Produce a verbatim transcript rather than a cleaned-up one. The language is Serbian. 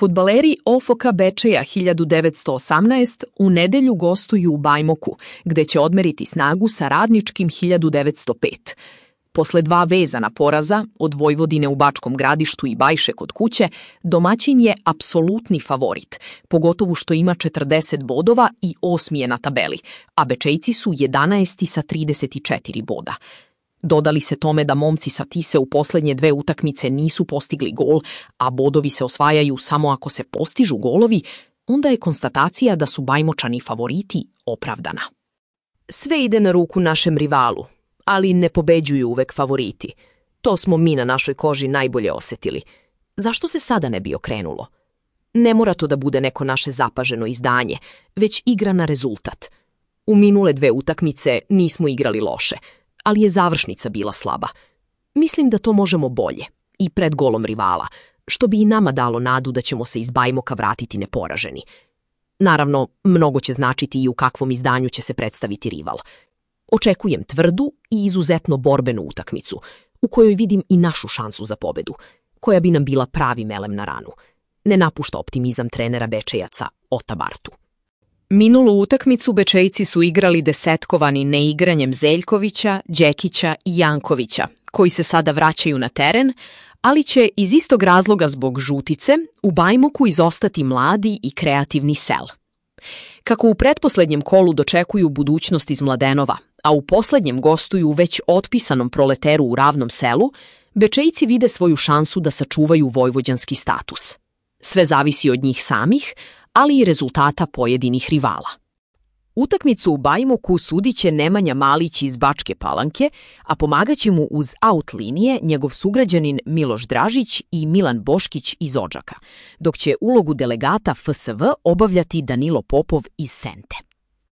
Fudbaleri O F K Bečeja hiljadu devetsto osamnaest u nedelju gostuju u Bajmoku, gde će odmeriti snagu sa Radničkim hiljadu devetsto pet. Posle dva vezana poraza, od Vojvodine u Bačkom Gradištu i Bajše kod kuće, domaćin je apsolutni favorit, pogotovo što ima četrdeset bodova i osmi je na tabeli, a Bečejci su jedanaesti sa trideset četiri boda. Dodali se tome da momci sa Tise u poslednje dve utakmice nisu postigli gol, a bodovi se osvajaju samo ako se postižu golovi, onda je konstatacija da su Bajmočani favoriti opravdana. Sve ide na ruku našem rivalu, ali ne pobeđuju uvek favoriti. To smo mi na našoj koži najbolje osetili. Zašto se sada ne bi okrenulo? Ne mora to da bude neko naše zapaženo izdanje, već igra na rezultat. U minule dve utakmice nismo igrali loše, ali je završnica bila slaba. Mislim da to možemo bolje, i pred golom rivala, što bi i nama dalo nadu da ćemo se iz Bajmoka vratiti neporaženi. Naravno, mnogo će značiti i u kakvom izdanju će se predstaviti rival. Očekujem tvrdu i izuzetno borbenu utakmicu, u kojoj vidim i našu šansu za pobedu, koja bi nam bila pravi melem na ranu. Ne napušta optimizam trenera Bečejaca Ota Bartu. Minulu utakmicu Bečejci su igrali desetkovani neigranjem Zeljkovića, Đekića i Jankovića, koji se sada vraćaju na teren, ali će iz istog razloga zbog žutice u Bajmoku izostati mladi i kreativni Sel. Kako u pretposlednjem kolu dočekuju budućnost iz Mladenova, a u poslednjem gostuju u već otpisanom Proleteru u Ravnom Selu, Bečejci vide svoju šansu da sačuvaju vojvođanski status. Sve zavisi od njih samih, ali i rezultata pojedinih rivala. Utakmicu u Bajmoku sudit će Nemanja Malić iz Bačke Palanke, a pomagaće mu uz aut linije njegov sugrađanin Miloš Dražić i Milan Boškić iz Odžaka, dok će ulogu delegata F S V obavljati Danilo Popov iz Sente.